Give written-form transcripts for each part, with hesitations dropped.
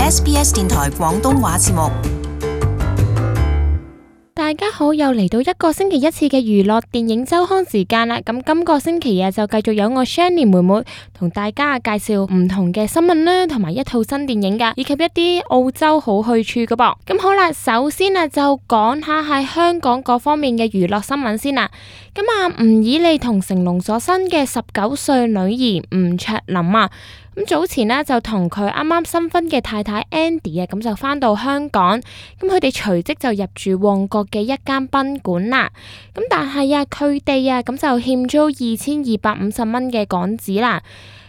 SBS 電台廣東話節目。大家好，又嚟到一個星期一次嘅娛樂電影週刊時間啦。咁今個星期就繼續有我 Shani 妹妹同大家介紹唔同嘅新聞啦，同埋一套新電影噶，以及一啲澳洲好去處噶噃。咁好啦，首先就講下喺香港嗰方面嘅娛樂新聞先啦。咁吳以莉同成龍所生嘅19歲女兒吳卓琳啊，咁早前就同佢啱啱新婚嘅太太 Andy 咁就返到香港，咁佢哋隨即就入住旺角嘅一間賓館啦。咁但係佢哋咁就欠租2250蚊嘅港紙啦。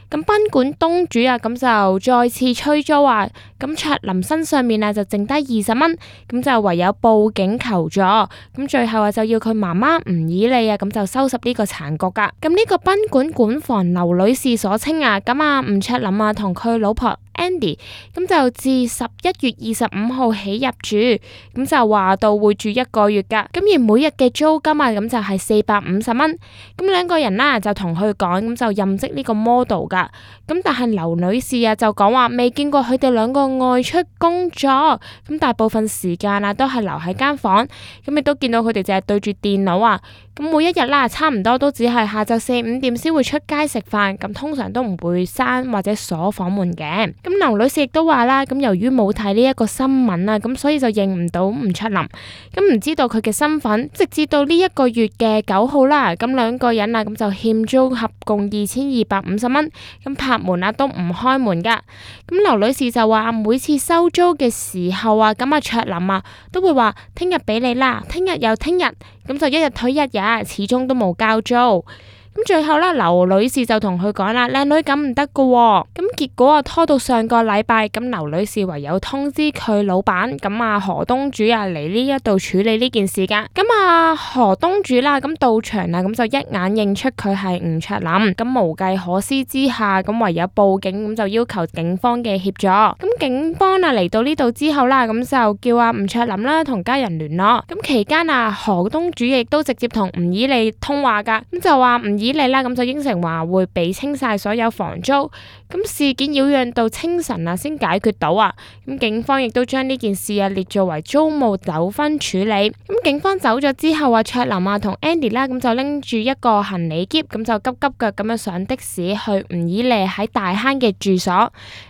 咁賓館東主咁就再次催租咁卓琳身上面就剩低20蚊，咁就唯有報警求助。咁最後就要佢媽媽吳以莉咁就收拾呢個殘局噶。咁呢個賓館館房劉女士所稱咁吳卓琳同佢老婆Andy 咁就自11月25號起入住，咁就話到會住1個月噶。咁而每日嘅租金咁就係450蚊。咁兩個人就同佢講，咁就任職呢個 model 噶。咁但係劉女士就講話未見過佢哋兩個外出工作，咁大部分時間都係留喺間房，咁亦都見到佢哋淨係對住電腦咁每一日差唔多都只係下晝4、5點先會出街食飯，咁通常都唔會閂或者鎖房門嘅。咁劉女士亦都話啦，咁由於冇睇呢一個新聞咁所以就認唔到吳卓琳，咁唔知道佢嘅身份，直至到呢一個月嘅9號啦，咁兩個人咁就欠租合共2250蚊，咁拍門都唔開門噶。咁劉女士就話每次收租嘅時候咁卓琳都會話聽日俾你啦，聽日又聽日，咁就一日推一日，始終都冇交租。咁最後劉女士就同佢講啦，靚女咁唔得噶，咁結果拖到上個禮拜，咁劉女士唯有通知佢老闆，咁何東主嚟呢一度處理呢件事噶。咁何東主咁到場咁就一眼認出佢係吳卓琳，咁無計可施之下，咁唯有報警，咁就要求警方嘅協助。咁警方嚟到呢度之後咁就叫吳卓琳啦同家人聯絡。咁期間何東主亦都直接同吳以莉通話噶，咁就話吳以莉咁就應承話會俾清晒所有房租。咁事件擾攘到清晨先解決到咁警方亦都將呢件事列作為租務糾紛處理。咁警方走咗之後卓琳同 Andy 咁就拎住一個行李篋，咁就急急腳咁樣上的士去吳以莉喺大坑嘅住所。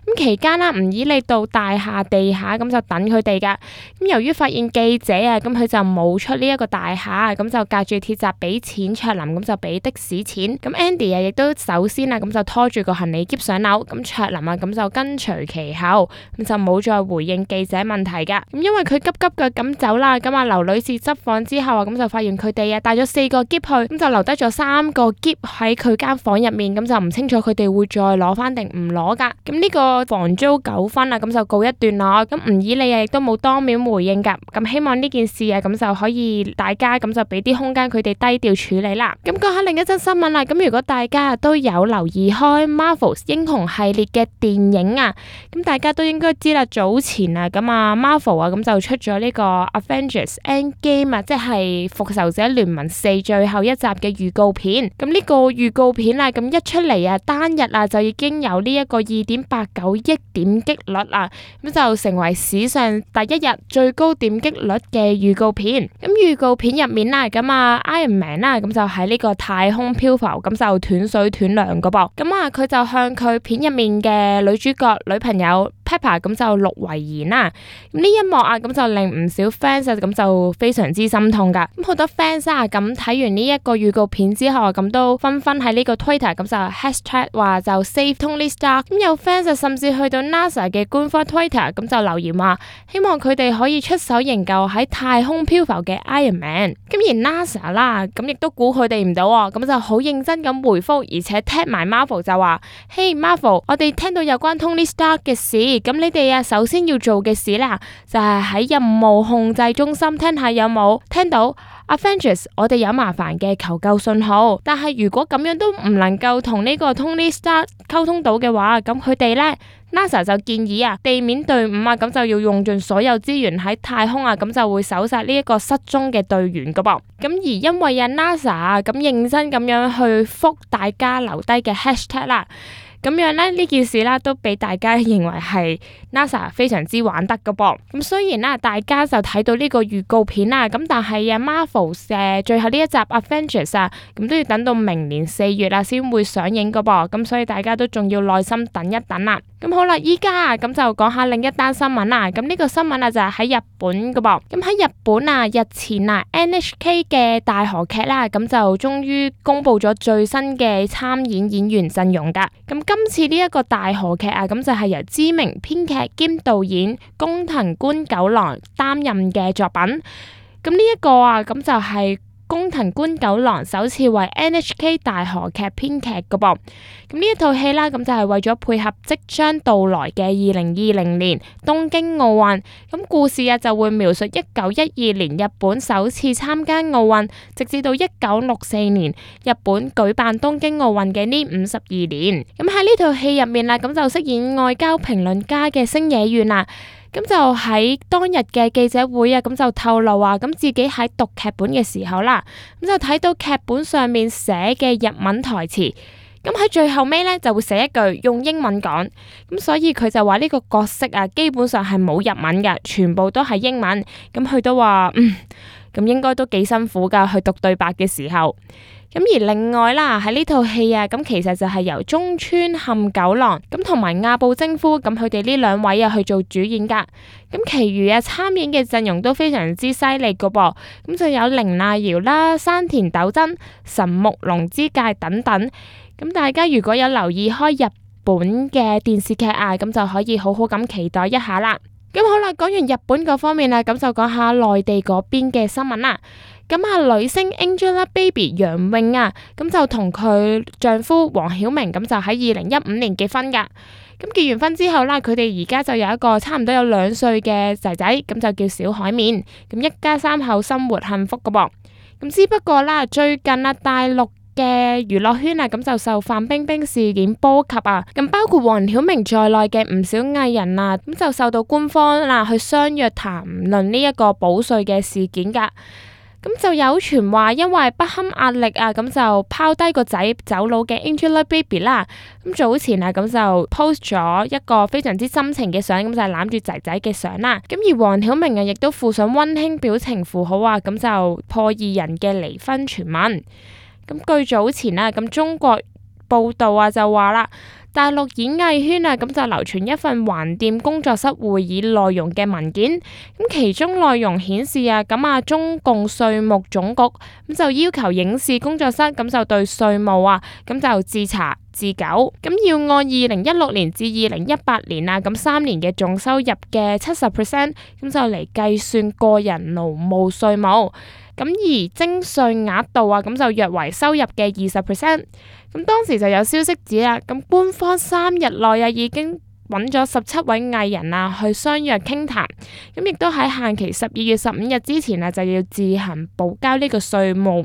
咁期間吳以莉到大廈地下咁就等佢哋噶。咁由於發現記者咁佢就冇出呢一個大廈，咁就隔住鐵閘俾錢卓琳，咁就俾的士錢。咁 Andy 亦都首先咁就拖住個行李篋上樓，咁卓琳咁就跟隨其後，咁就冇再回應記者問題噶。咁因為佢急急腳咁走啦，咁劉女士執房之後咁就發現佢哋帶咗4個篋去，咁就留低咗3個篋喺佢間房入面，咁就唔清楚佢哋會再攞翻定唔攞噶。咁呢個房租糾紛咁就告一段落。咁吳以莉亦都冇當面回應噶。咁希望呢件事咁就可以大家咁就俾啲空間佢哋低調處理啦。咁講下另一則新聞啦。咁如果大家都有留意開 Marvel 英雄系列嘅電影咁大家都應該知啦。早前咁Marvel咁就出咗呢個 Avengers Endgame 即係復仇者聯盟4最後一集嘅預告片。咁呢個預告片咁一出嚟單日就已經有呢一個2.89億點擊率咁就成為史上第一日最高點擊率嘅預告片。咁預告片入面咁Iron Man 咁就喺呢個太空漂浮，咁就斷水斷糧噶噃。咁佢就向佢片入面嘅女主角女朋友 Pepper 咁就錄遺言啦。咁呢一幕咁就令唔少 fans 咁就非常之心痛噶。咁好多 fans 咁睇完呢一個預告片之後咁都紛紛喺呢個 Twitter 咁就 hashtag 話就 Save Tony Stark。咁有 fans 甚至去到 NASA 嘅官方 Twitter 咁就留言話希望佢哋可以出手營救喺太空漂浮嘅 Iron Man。咁而 NASA 啦咁亦都估佢哋唔到咁就好認真咁回覆，而且 tag 埋 Marvel 就話：Hey Marvel， 我哋聽到有關 Tony Stark 嘅事，咁你哋首先要做嘅事啦，就係喺任務控制中心聽下有冇聽到 Avengers， 我哋有麻煩嘅求救信號。但係如果咁樣都唔能夠同呢個 Tony Stark 溝通到嘅話，咁佢哋呢 NASA 就建議地面隊伍咁就要用盡所有資源喺太空咁就會搜殺呢一個失蹤嘅隊員噶噃。咁而因為NASA 咁認真咁樣去覆大家留低嘅 hashtag 啦。咁樣咧呢件事啦，都俾大家認為係 NASA 非常之玩得噶噃。咁雖然啦，大家就睇到呢個預告片啦，咁但係啊 Marvel 嘅最後呢一集 Avengers 啊，咁都要等到明年4月啊先會上映噶噃。咁所以大家都仲要耐心等一等啦。咁好啦，依家啊咁就講下另一單新聞啦。咁呢個新聞啊就係喺日本噶噃。咁喺日本啊，日前啊 NHK 嘅大河劇啦，咁就終於公布咗最新嘅參演演員陣容噶。咁今次呢一個大河劇啊，咁就係由知名編劇兼導演工藤官九郎擔任嘅作品。咁呢一個啊，咁就係工藤官九郎首次為 NHK 大河劇編劇噶噃。咁呢一套戲啦，咁就係為咗配合即將到來嘅2020年東京奧運。咁故事啊就會描述1912年日本首次參加奧運，直至到1964年日本舉辦東京奧運嘅呢52年。咁喺呢套戲入面啦，咁就飾演外交評論家嘅星野源啊。咁就喺當日嘅記者會啊，咁就透露啊，咁自己喺讀劇本嘅時候啦，咁就睇到劇本上面寫嘅日文台詞，咁喺最後尾咧就會寫一句用英文講，咁所以佢就話呢個角色啊，基本上係冇日文嘅，全部都係英文。咁佢都話咁應該都幾辛苦噶，去讀對白嘅時候。咁而另外啦，喺呢套戲啊，咁其實就係由中村勘九郎咁同埋亞布征夫咁佢哋呢兩位啊去做主演噶。咁其餘啊參演嘅陣容都非常之犀利噶噃。咁就有綾瀨遙啦、山田斗真、神木隆之介等等。咁大家如果有留意開日本嘅電視劇啊，咁就可以好好咁期待一下啦。咁好啦，講完日本嗰方面啦，咁就講下內地嗰邊嘅新聞啦。咁啊，女星 Angelababy 楊穎啊，咁就同佢丈夫黃曉明咁就喺2015年結婚噶。咁結完婚之後啦，佢哋而家就有一個差唔多有2歲嘅仔仔，咁就叫小海綿。咁一家3口生活幸福噶噃。咁只不過啦，最近啊大陸嘅娛樂圈啊，咁就受范冰冰事件波及啊，咁包括黃曉明在內嘅唔少藝人啊，咁就受到官方啦去相約談論呢一個補稅嘅事件噶。咁就有傳話，因為不堪壓力啊，咁就拋低個仔走佬嘅 Angelababy 啦。咁早前啊，咁就 post 咗一個非常之深情嘅相，咁就係攬住仔仔嘅相啦。咁而黃曉明啊，亦都附上溫馨表情符號啊，咁就破2人嘅離婚傳聞。咁據早前啊，咁中國報道啊就話啦，大陸演藝圈啊，咁就流傳一份橫店工作室會議內容嘅文件，咁其中內容顯示啊，咁啊中共稅務總局咁就要求影視工作室咁就對稅務啊，咁就自查自糾，咁要按2016年至2018年啊，咁3年嘅總收入嘅70%，咁就嚟計算個人勞務稅務。咁而徵稅額度啊，咁就約為收入嘅20%。咁當時就有消息指啦，咁官方3日內啊已經揾咗17位藝人啊去相約傾談，咁亦都喺限期12月15日之前啊就要自行補交呢個稅務。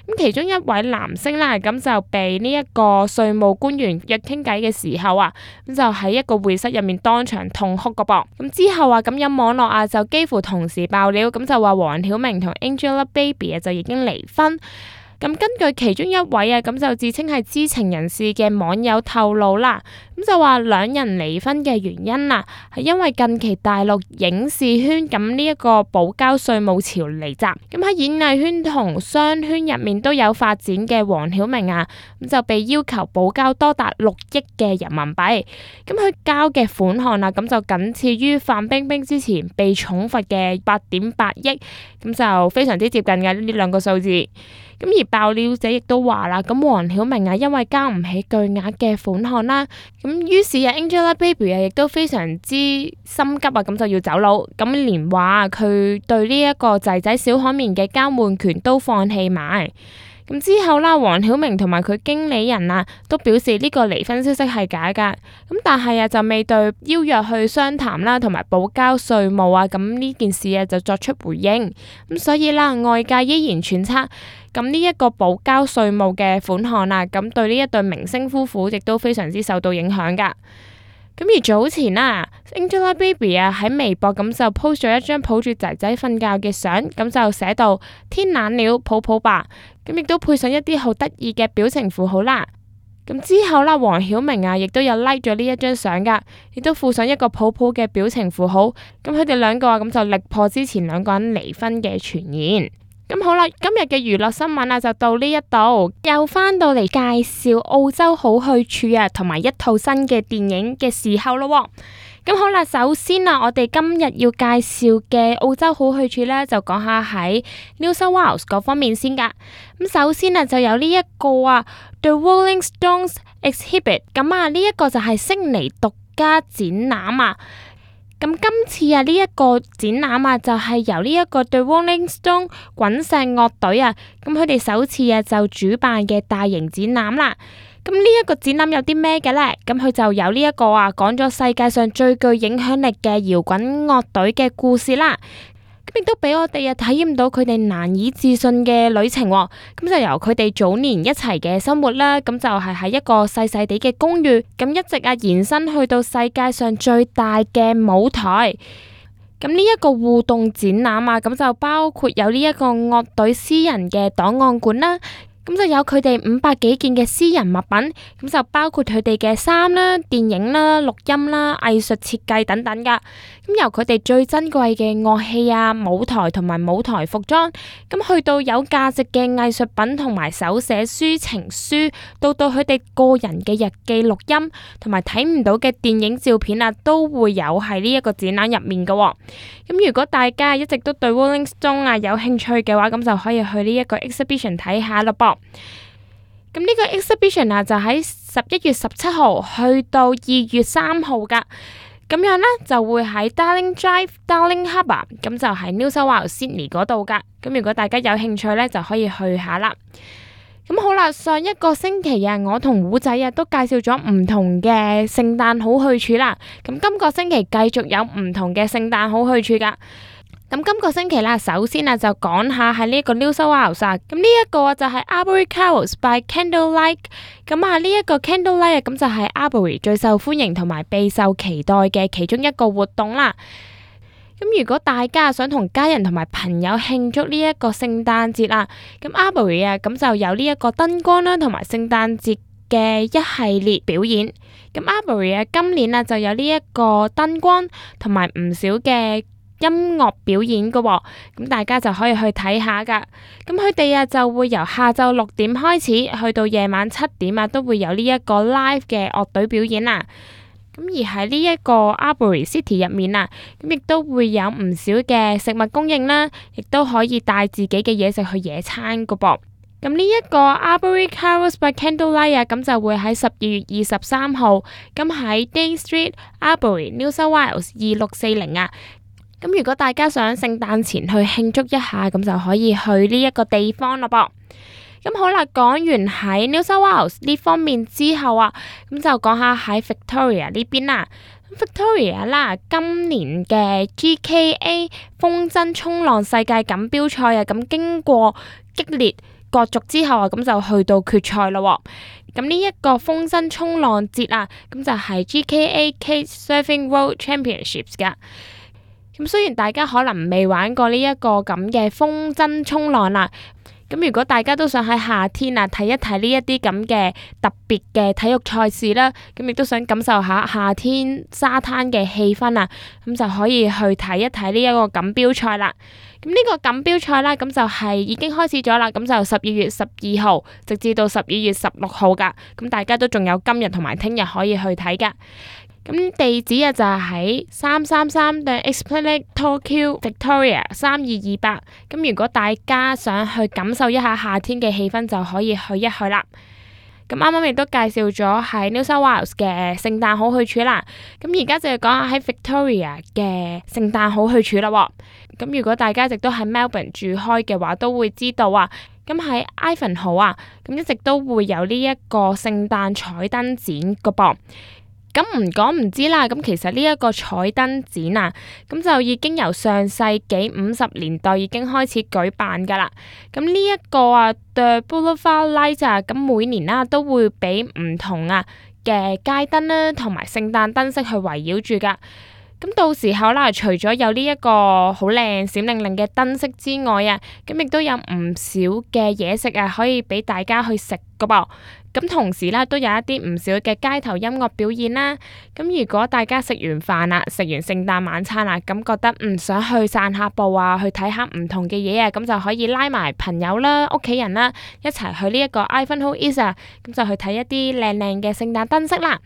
咁其中一位男星啦，咁就被呢一個稅務官員約傾偈嘅時候啊，咁就喺一個會室入面當場痛哭個噃。咁之後啊，咁有網絡啊就幾乎同時爆料，咁就話黃曉明同 Angelababy 啊就已經離婚。咁根據其中一位啊，咁就自稱係知情人士嘅網友透露啦，咁就話兩人離婚嘅原因啊，係因為近期大陸影視圈咁呢一個補交稅務潮嚟襲，咁喺演藝圈同商圈入面都有發展嘅黃曉明啊，咁就被要求補交多達6億嘅人民幣，咁佢交嘅款項啊，咁就僅次於范冰冰之前被重罰嘅8.8億，咁就非常之接近嘅呢兩個數字。咁而爆料者亦都話啦，咁黃曉明啊，因為交唔起巨額嘅款項啦，咁於是啊 Angelababy 啊亦都非常之心急啊，咁就要走佬，咁連話佢對呢一個仔仔小海綿嘅交換權都放棄埋。咁之後啦，黃曉明同埋佢經理人啊都表示呢個離婚消息係假噶，咁但係啊就未對邀約去商談啦，同埋補交稅務啊，咁呢件事啊就作出回應。咁所以啦，外界依然揣測，咁呢一個補交稅務嘅款項啊，咁對呢一對明星夫婦亦都非常之受到影響噶。咁而早前啊 Angelababy 啊喺微博咁就 post 咗一張抱住仔仔瞓覺嘅相，咁就寫到天冷了，抱抱吧，咁亦都配上一啲好得意嘅表情符號啦。咁之後啦，黃曉明啊，亦都有 like 咗呢一張相噶，亦都附上一個抱抱嘅表情符號。咁佢哋兩個啊，咁就力破之前兩個人離婚嘅傳言。咁好啦，今日嘅娛樂新聞啊，就到呢一度，又翻到嚟介紹澳洲好去處啊，同埋一套新嘅電影嘅時候咯。咁好啦，首先啊，我哋今日要介紹嘅澳洲好去處呢，就講下喺 New South Wales 嗰方面先噶。咁首先啊，就有呢一個啊 The Rolling Stones Exhibit， 咁啊呢一個就係悉尼獨家展覽啊。咁今次啊呢一個展覽啊，就係由呢一個 The Rolling Stone 滾石樂隊啊，咁佢哋首次啊就主辦嘅大型展覽啦。咁呢一個展覽有啲咩嘅呢？咁佢就有呢一個啊，講咗世界上最具影響力嘅搖滾樂隊嘅故事啦。咁亦都俾我哋啊體驗到佢哋難以置信嘅旅程。咁就由佢哋早年一齊嘅生活啦，咁就係喺一個細細地嘅公寓，咁一直啊延伸去到世界上最大嘅舞台。咁呢一個互動展覽啊，咁就包括有呢一個樂隊私人嘅檔案館啦。咁就有佢哋500幾件嘅私人物品，咁就包括佢哋嘅衫啦、電影啦、錄音啦、藝術設計等等噶。咁由佢哋最珍貴嘅樂器啊、舞台同埋舞台服裝，咁去到有價值嘅藝術品同埋手寫書情書，到佢哋個人嘅日記錄音，同埋睇唔到嘅電影照片啊，都會有喺呢一個展覽入面噶。咁如果大家一直都對 Rolling Stone 啊有興趣嘅話，咁就可以去呢一個 exhibition 睇下咯噃。咁呢個 exhibition 啊，就喺11月17號去到2月3號噶，咁樣呢，就會喺 Darling Drive、Darling Harbour， 咁就喺 New South Wales Sydney 嗰度噶。咁如果大家有興趣呢，就可以去下啦。咁好啦，上一個星期啊，我同胡仔啊都介紹咗唔同嘅聖誕好去處啦。咁今個星期繼續有唔同嘅聖誕好去處噶。咁今個星期啦，首先啊就講下喺呢一個 New South Wales 啊，咁呢一個就係 Arbory Carols by Candlelight。咁啊呢一個 Candlelight 啊，咁就係 Arbory 最受歡迎同埋備受期待嘅其中一個活動啦。咁如果大家想同家人同埋朋友慶祝呢一個聖誕節啊，咁 Arbory 啊，咁就有呢一個燈光啦，同埋聖誕節嘅一系列表演。咁 Arbory 啊，今年啊就有呢一個燈光同埋唔少嘅音樂表演㗎喎，咁大家就可以去睇下噶。咁佢哋啊就會由下晝6點開始，去到夜晚7點啊，都會有呢一個 live 嘅樂隊表演啦。咁而喺呢一個 Arbory City 入面啊，咁亦都會有唔少嘅食物供應啦，亦都可以帶自己嘅嘢食去野餐㗎噃。咁呢一個 Arbory Carols by Candlelight 啊，咁就會喺12月23號，咁喺 Day Street Arbory New South Wales 2640啊。咁如果大家想聖誕前去慶祝一下，咁就可以去呢一個地方咯噃。咁好啦，講完喺 New South Wales 呢方面之後啊，咁就講下喺 Victoria 呢邊啦。Victoria 啦，今年嘅 GKA 風箏衝浪世界錦標賽啊，咁經過激烈角逐之後啊，咁就去到決賽咯。咁呢一個風箏衝浪節啊，咁就係 GKA Kite Surfing World Championships 噶。咁雖然大家可能未玩過呢一個咁嘅風箏衝浪啦，咁如果大家都想喺夏天啊睇一睇呢一啲咁嘅特別嘅體育賽事啦，咁亦都想感受下夏天沙灘嘅氣氛啊，咁就可以去睇一睇呢一個錦標賽啦。咁呢個錦標賽啦，咁就係已經開始咗啦，咁就12月12號直至到12月16號噶，咁大家都仲有今日同埋聽日可以去睇噶。咁地址啊就係喺333 The Esplanade Tokyo Victoria 3228。咁如果大家想去感受一下夏天嘅氣氛，就可以去一去啦。咁啱啱亦都介紹咗喺 New South Wales 嘅聖誕好去處啦。咁而家就係講下喺 Victoria 嘅聖誕好去處啦。咁如果大家一直都喺 Melbourne 住開嘅話，都會知道啊。咁喺 Ivanhoe 啊，咁一直都會有呢一個聖誕彩燈展噶噃。咁唔講唔知啦，咁其實呢一個彩燈展啊，咁就已經由上世紀50年代已經開始舉辦噶啦。咁呢一個啊 The Boulevard Lights 啊，咁每年啦都會俾唔同啊嘅街燈啦，同埋聖誕燈飾去圍繞住噶。咁到時候啦，除咗有呢一個好靚閃靈靈嘅燈飾之外啊，咁亦都有唔少嘅嘢食啊，可以俾大家去食噶噃。咁同時啦，都有一啲唔少嘅街頭音樂表演啦。咁如果大家食完飯啦，食完聖誕晚餐啦，咁覺得唔想去散下步啊，去睇下唔同嘅嘢啊，咁就可以拉埋朋友啦、屋企人啦，一齊去呢一個 Ivanhoe East 啊，咁就去睇一啲靚靚嘅聖誕燈飾啦。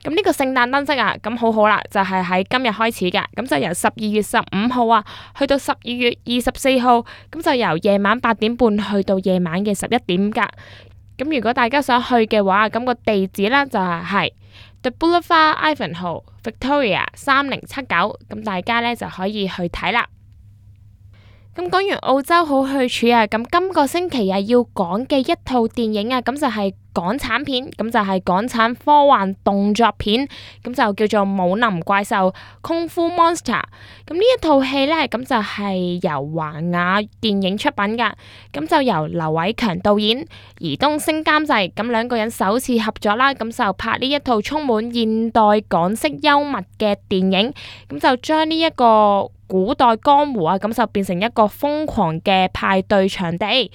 咁呢個聖誕燈飾啊，咁好好啦，就係喺今日開始噶，咁就由12月15號啊，去到12月24號，咁就由夜晚8點半去到夜晚嘅11點噶。咁如果大家想去嘅話，咁個地址呢就係 The Boulevard Ivanhoe Victoria 3079，咁大家呢就可以去睇啦。咁講完澳洲好去處啊，咁今個星期啊要講嘅一套電影啊，咁就係港產片，咁就係港產科幻動作片，咁就叫做《武林怪獸 Kung Fu Monster》。咁呢一套戲呢，咁就係由華雅電影出品噶，咁就由劉偉強導演、爾冬陞監製，咁兩個人首次合作啦，咁就拍呢一套充滿現代港式幽默嘅電影，咁就將呢一個古代江湖啊，咁就變成一個瘋狂嘅派對場地。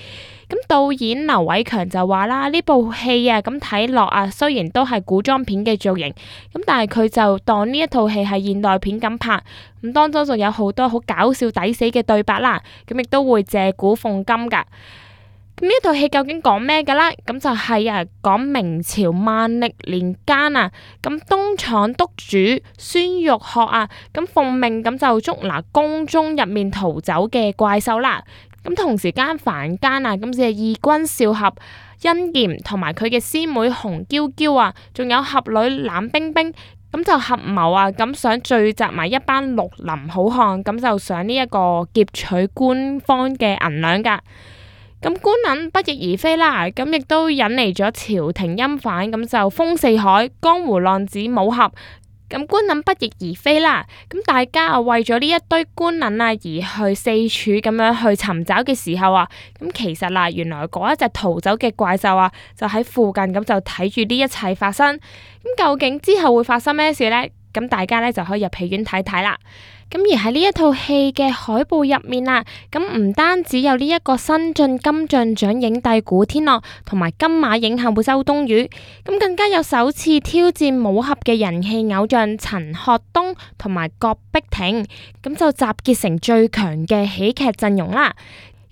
咁導演劉偉強就話啦，呢部戲啊，咁睇落啊，雖然都係古裝片嘅造型，咁但係佢就當呢一套戲係現代片咁拍，咁當中就有好多好搞笑抵死嘅對白啦，咁亦都會借古諷今噶。咁呢套戲究竟講咩噶啦？咁就係啊，講明朝萬曆年間啊，咁東廠督主孫玉珏啊，咁奉命咁就捉拿宮中入面逃走嘅怪獸啦。咁同時間坊間啊，咁就係義軍少俠殷炎同埋佢嘅師妹紅嬌嬌啊，仲有俠女冷冰冰，咁就合謀啊，咁想聚集埋一班綠林好漢，咁就想呢一個劫取官方嘅銀兩噶。咁官銀不翼而飛啦，咁亦都引嚟咗朝廷欽犯，咁就封四海，江湖浪子武俠。咁官銀不翼而飛啦，咁大家啊為咗呢一堆官銀啊而去四處咁樣去尋找嘅時候啊，咁其實啦，原來嗰一隻逃走嘅怪獸啊，就喺附近，咁就睇住呢一切發生。咁究竟之後會發生咩事呢？咁大家呢就可以入戲院睇睇啦。咁而喺呢一套戲嘅海報入面啊，咁唔單止有呢一個新晉金像獎影帝古天樂同埋金馬影后周冬雨，咁更加有首次挑戰武俠嘅人氣偶像陳學冬同埋郭碧婷，咁就集結成最強嘅喜劇陣容啦。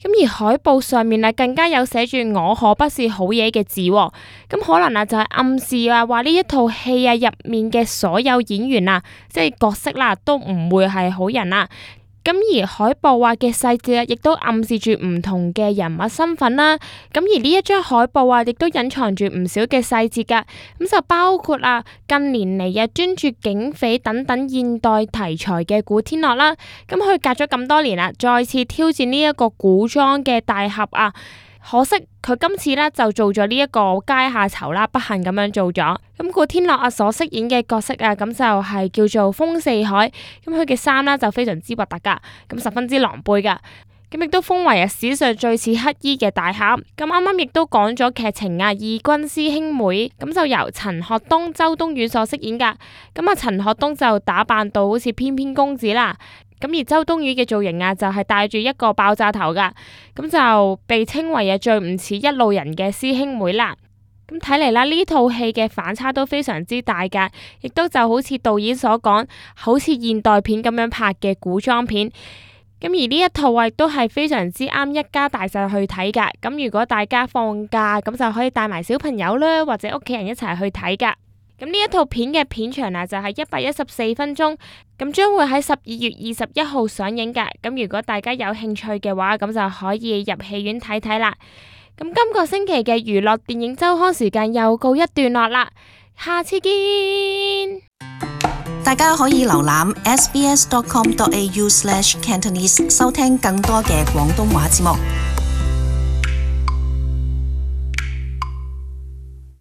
咁而海報上面啊，更加有寫住我可不是好嘢嘅字，咁可能啊就係暗示啊，話呢一套戲啊入面嘅所有演員啊，即係角色啦，都唔會係好人啦。咁而海報啊嘅細節啊，亦都暗示住唔同嘅人物身份啦。咁而呢一張海報啊，亦都隱藏住唔少嘅細節噶。咁就包括啊，近年嚟啊專注警匪等等現代題材嘅古天樂啦。咁佢隔咗咁多年啦，再次挑戰呢一個古裝嘅大俠啊。可惜佢今次呢就做咗呢一個階下囚啦，不幸咁樣做咗。咁古天樂啊所飾演嘅角色啊，咁就係叫做風四海。咁佢嘅衫呢就非常之核突噶，咁十分之狼狽噶。咁亦都封為啊史上最似乞衣嘅大俠。咁啱啱亦都講咗劇情啊，義軍師兄妹咁就由陳學冬、周冬雨所飾演噶。咁啊陳學冬就打扮到好似翩翩公子啦。咁而周冬雨嘅造型啊，就係戴住一個爆炸頭噶，咁就被稱為啊最唔似一路人嘅師兄妹啦。咁睇嚟啦，呢套戲嘅反差都非常之大噶，亦都就好似導演所講，好似現代片咁樣拍嘅古裝片。咁而呢一套啊，亦都係非常之啱一家大細去睇噶。咁如果大家放假，咁就可以帶埋小朋友啦，或者屋企人一齊去睇噶。咁呢一套片嘅片長啊，就係114分鐘，咁將會喺12月21號上映噶。咁如果大家有興趣嘅話，咁就可以入戲院睇睇啦。咁今個星期嘅娛樂電影周刊時間又告一段落啦，下次見。大家可以瀏覽 sbs.com.au/cantonese 收聽更多嘅廣東話節目。